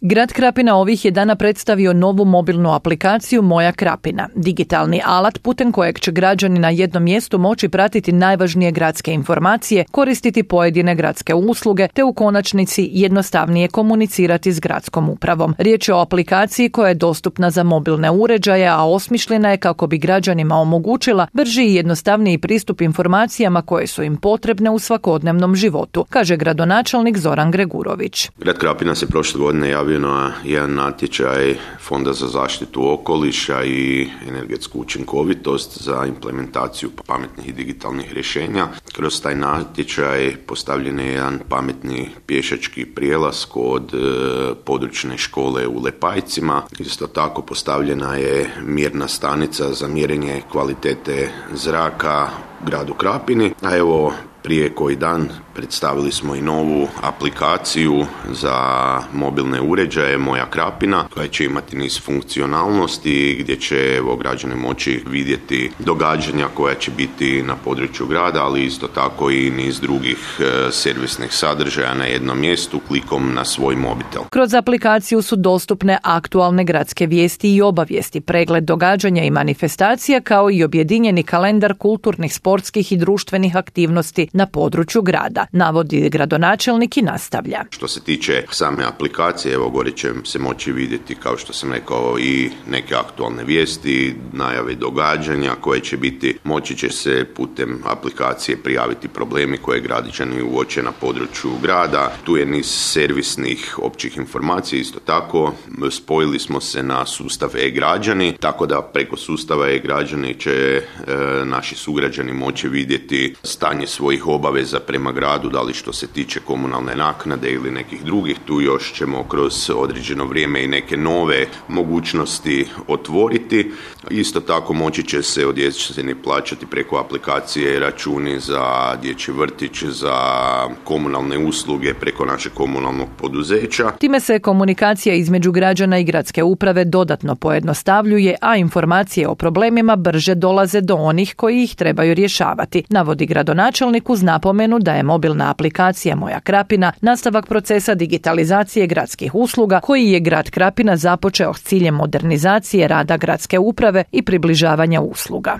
Grad Krapina ovih je dana predstavio novu mobilnu aplikaciju Moja Krapina, digitalni alat putem kojeg će građani na jednom mjestu moći pratiti najvažnije gradske informacije, koristiti pojedine gradske usluge te u konačnici jednostavnije komunicirati s gradskom upravom. Riječ je o aplikaciji koja je dostupna za mobilne uređaje, a osmišljena je kako bi građanima omogućila brži i jednostavniji pristup informacijama koje su im potrebne u svakodnevnom životu, kaže gradonačelnik Zoran Gregurović. Grad Krapina se prošle godine javio na jedan natječaj Fonda za zaštitu okoliša i energetsku učinkovitost za implementaciju pametnih i digitalnih rješenja. Kroz taj natječaj postavljen je jedan pametni pješački prijelaz kod područne škole u Lepajcima. Isto tako postavljena je mjerna stanica za mjerenje kvalitete zraka u gradu Krapini, a evo prije koji dan predstavili smo i novu aplikaciju za mobilne uređaje Moja Krapina, koja će imati niz funkcionalnosti gdje će građani moći vidjeti događanja koja će biti na području grada, ali isto tako i niz drugih servisnih sadržaja na jednom mjestu klikom na svoj mobitel. Kroz aplikaciju su dostupne aktualne gradske vijesti i obavijesti, pregled događanja i manifestacija, kao i objedinjeni kalendar kulturnih, sportskih i društvenih aktivnosti na području grada, navodi gradonačelnik i nastavlja. Što se tiče same aplikacije, evo gore će se moći vidjeti, kao što sam rekao, i neke aktualne vijesti, najave događanja koje će biti, moći će se putem aplikacije prijaviti problemi koje građani uoče na području grada. Tu je niz servisnih općih informacija, isto tako spojili smo se na sustav e-građani, tako da preko sustava e-građani će naši sugrađani moći vidjeti stanje svojih obaveza prema gradu, da li što se tiče komunalne naknade ili nekih drugih. Tu još ćemo kroz određeno vrijeme i neke nove mogućnosti otvoriti. Isto tako moći će se od jeseni plaćati preko aplikacije računi za dječji vrtić, za komunalne usluge preko našeg komunalnog poduzeća. Time se komunikacija između građana i gradske uprave dodatno pojednostavljuje, a informacije o problemima brže dolaze do onih koji ih trebaju rješavati, navodi gradonačelnik uz napomenu da je mobilna aplikacija Moja Krapina nastavak procesa digitalizacije gradskih usluga koji je grad Krapina započeo s ciljem modernizacije rada gradske uprave i približavanja usluga.